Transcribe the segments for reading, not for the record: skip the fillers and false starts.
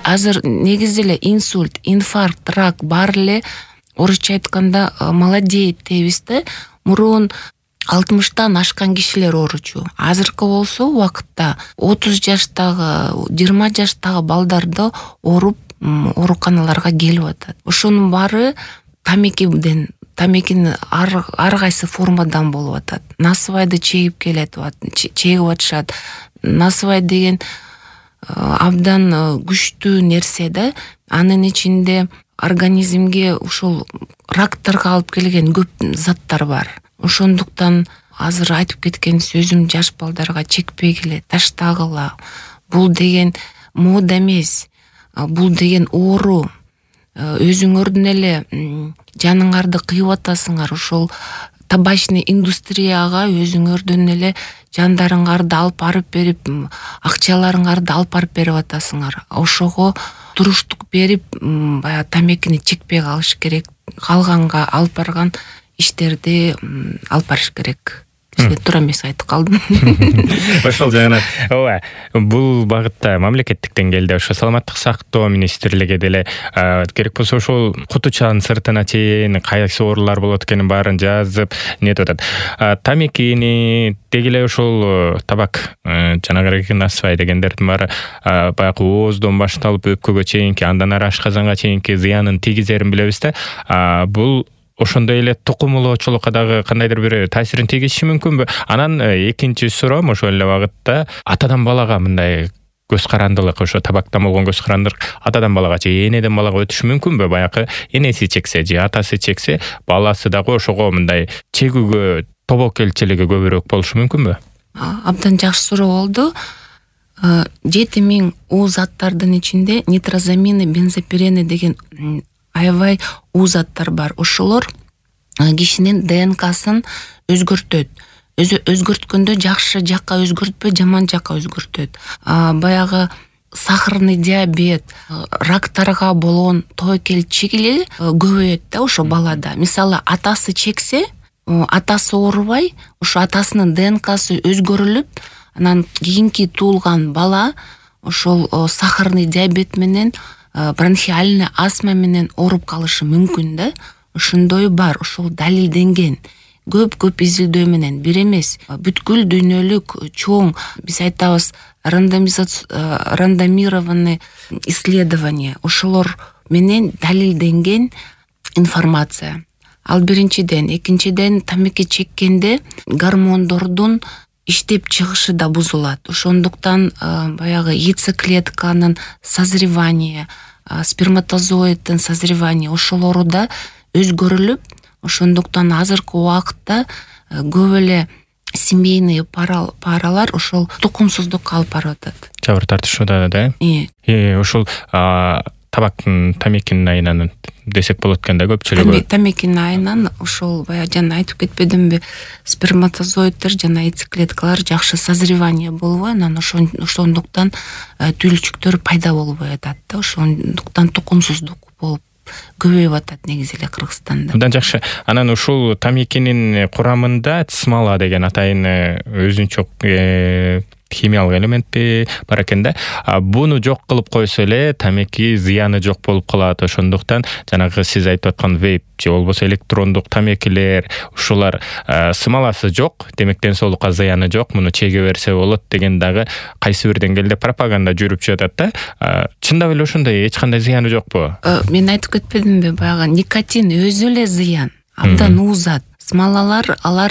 азыр негизи эле инсульт, инфаркт, рак баары эле орусча айтканда молодеет дейбиз да. Мурун 60-тан ашкан кишилер ооручу. Азыркы болсо убакытта 30 жаштагы, 20 жаштагы балдарды ооруп ооруканаларга келип атат. Ошонун баары тамекинин ар кайсы формадан болуп атат. Насыбайды чегип атышат. Насыбай деген абдан күчтүү нерсе да. Анын ичинде организмге ушул рактарга алып келген көп заттар бар. Ошондуктан азыр айтып кеткен сөзүм жаш балдарга чекпегиле, таштагыла. Бул деген мода эмес. Бул деген оору. Өзүңөрдүн эле жаныңарды кыйып атасыңар. Ошол табачный индустрияга өзүңөрдүн эле жандарыңарды алып барып берип, акчаларыңарды алып барып берип атасыңар. Ошого туруштук берип, баягы тамекини чекпей калыш керек. Калганга алып барган иштерди алып барыш керек. Туура эмес айтып калдым. Ошол жагынан ооба, бул багытта мамлекеттик деңгээлде ошо саламаттык сактоо министрлиги деле керек болсо ошол кутучанын сыртына чейин кайсы оорулар болот экенин баарын жазып нетип атат. Тамекини деги эле ошол табак, жанагы насыбай дегендердин баары баягы ооздон башталып өпкөгө чейинки, андан ары ашказанга чейинки зыянын тийгизерин билебиз да. Бул ошондой эле тукумулоочулукка дагы кандайдыр бир таасирин тийгизиши мүмкүнбү? Анан экинчи суроом ошол эле багытта атадан балага мындай көз карандылык, ошо табактан болгон көз карандылык атадан балага же энеден балага өтүшү мүмкүнбү? Баягы энеси чексе же атасы чексе, баласы дагы ошого мындай чегүүгө тобокелчилиги көбүрөөк болушу мүмкүнбү? Абдан жакшы суроо болду. 7000 уу заттардын ичинде нитрозамины, бензопирени деген аябай уу заттар бар. Ошолор кишинин ДНКсын өзгөртөт. Өзгөрткөндө жакшы жакка өзгөртпөй, жаман жакка өзгөртөт. Баягы сахарный диабет, рактарга болгон тобокелчилиги көбөйөт да ошо балада. Мисалы, атасы чексе, атасы оорубай, ошо атасынын ДНКсы өзгөрүлүп, анан кийинки туулган бала ошол сахарный диабет менен, бронхиальный астма менен ооруп калышы мүмкүн да. Ошондой бар, ошол далилденген. Көп изилдөө менен, бир эмес, бүткүл дүйнөлүк чоң, биз айтабыз, рандомированный исследование, ошолор менен далилденген информация. Ал биринчиден. Экинчиден, тамеки чеккенде гормондордун иштеп чыгышы да бузулат. Ошондуктан баягы яйцеклетканын созревание, сперматозоиддин созревание ошолору да өзгөрүлүп, ошондуктан азыркы убакытта көп эле семейный паралар ошол тукумсуздукка алып барып атат. Жабыр тартышууда да? Ошол табактын, тамекинин айынан десек болот экен да көпчүлүгү. Тамекинин айынан ошол баягы жана айтып кетпедимби, сперматозоиддер жана яйцеклеткалар жакшы созревание болбой, анан ошондуктан түйүлчүктөр пайда болбой атат да. Ошондуктан тукумсуздук болуп көбөйүп атат негизи эле Кыргызстанда. Абдан жакшы. Анан ушул тамекинин курамында смола деген атайын өзүнчө химиялык элементти бар экен да. Буну жок кылып койсо эле тамеки зыяны жок болуп калат. Ошондуктан жанагы сиз айтып аткан вейп же болбосо электрондук тамекилер, ушулар смоласы жок, демек ден соолукка зыяны жок, муну чеге берсе болот деген дагы кайсы бир деңгээлде пропаганда жүрүп жатат да. Чындап эле ошондой эч кандай зыяны жокпу? Мен айтып кетпедимби, баягы никотин өзү эле зыян, абдан уузат. Смолалар, алар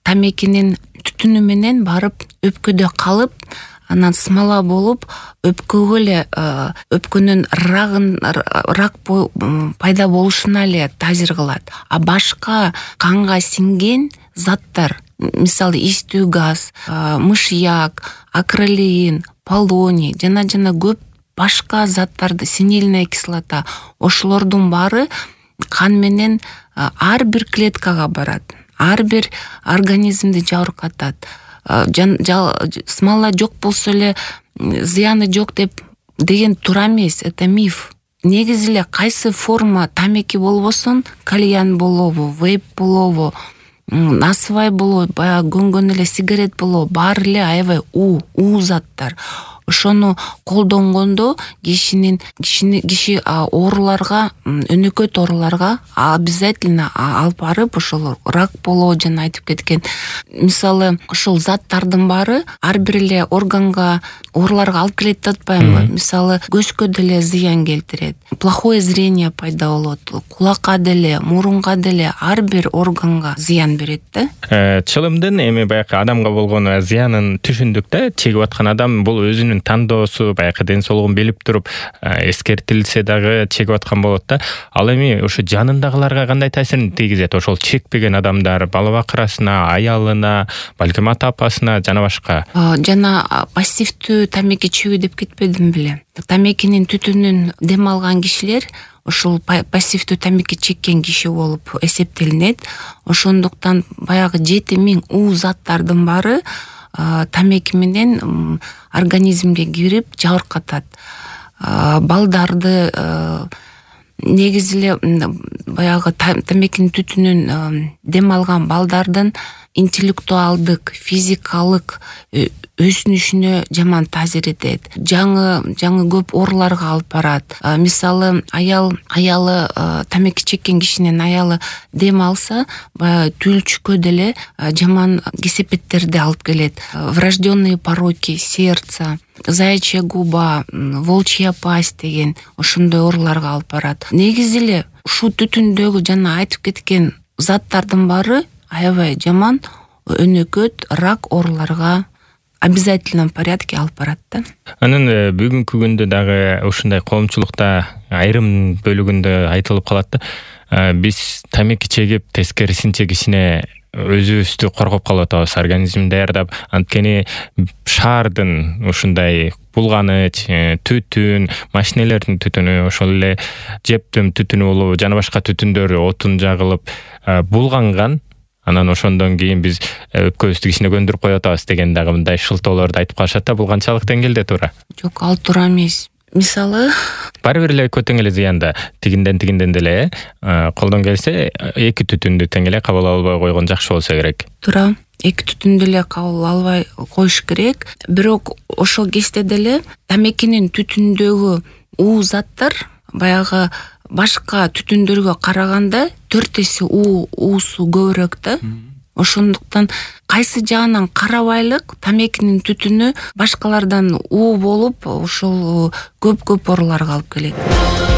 тамекинин түтүнү менен барып өпкөдө калып, анан смола болуп, өпкөгө эле өпкөнүн рак пайда болушуна эле таасир кылат. А башка канга сиңген заттар, мисалы истүү газ, мышьяк, акрилеин, полоний, жана көп башка заттарды, синильная кислота, ошолордун баары кан менен ар бир клеткага барат. Ар бир организмди жабыркатат. Смола жок болсо эле зыяны жок деген туура эмес, это миф. Негизи эле кайсы форма тамеки болбосун, кальян болобу, вейп болобу, насыбай болобу, баягы көнгөн эле сигарет болобу, баары эле аябай уу заттар. ошону колдонгондо киши ооруларга, өнөкөт ооруларга обязательно алып барып, ошол рак болоо жана айтып кеткен мисалы ошол заттардын баары ар бир эле органга, ооруларга алып келет деп атпаймынбы? Мисалы көзгө деле зыян келтирет, плохое зрение пайда болот, кулакка деле, мурунга деле, ар бир органга зыян берет да. Чылымдын эми баягы адамга болгон зыянын түшүндүк да. Чегип аткан адам бул өзүнүн тандоосу, баягы ден соолугун билип туруп эскертилсе дагы чегип аткан болот да. Ал эми ошо жанындагыларга кандай таасирин тийгизет? Ошол чекпеген адамдар балабакырасына, аялына, балким ата-апасына жана башка. Жана пассивдүү тамеки чегүү деп кетпедим беле? Тамекинин түтүнүн дем алган кишилер ошол пассивдүү тамеки чеккен киши болуп эсептелинет. Ошондуктан баягы 7000 уу заттардын баары тамеки менен организмге кирип жабыркатат. Балдарды негизи эле баягы тамекинин түтүнүн дем алган балдардын интеллектуалдык, физикалык өсүнүшүнө жаман таасир этет. Жаңы көп ооруларга алып барат. Мисалы аялы тамеки чеккен кишинин аялы дем алса, түлчүккө деле жаман кесепеттерди алып келет. Врожденные пороки сердца, заячья губа, волчья пасть деген ошондой ооруларга алып барат. Негизи эле ушул түтүндөгү жана айтып кеткен заттардын баары аябай жаман өнөкөт, рак ооруларга обязательном порядке алып барат да. Анын бүгүнкү күндө дагы ушундай коомчулукта айрым бөлүгүндө айтылып калат да. Биз тамеки чегип, тескерисинче кичине өзүбүздү коргоп калып атабыз, организмди даярдап. Анткени шаардын ушундай булганыч, түтүн, машинелердин түтүнү, ошол эле жептин түтүнү болобу, жана башка түтүндөр отун жагылып булганган. Анан ошондон кийин биз өпкөбүздү кичине көндүрүп коюп атабыз деген дагы мындай шылтоолорду айтып калышат да. Бул канчалык деңгээлде туура? Жок, ал туура эмес. Мисалы, баары бир эле көтөң эле зыянда тигинден деле колдон келсе эки түтүндү тең эле кабыл албай койгон жакшы болсо керек. Туура. Эки түтүндү эле кабыл албай коюш керек. Бирок ошол кезде деле тамекинин түтүндөгү уу заттар баягы башка түтүндөргө караганда 4 эсе уусу көбүрөөк да. Ошондуктан кайсы жагынан карабайлык тамекинин түтүнү башкалардан уу болуп, ошол көп ооруларга алып келет.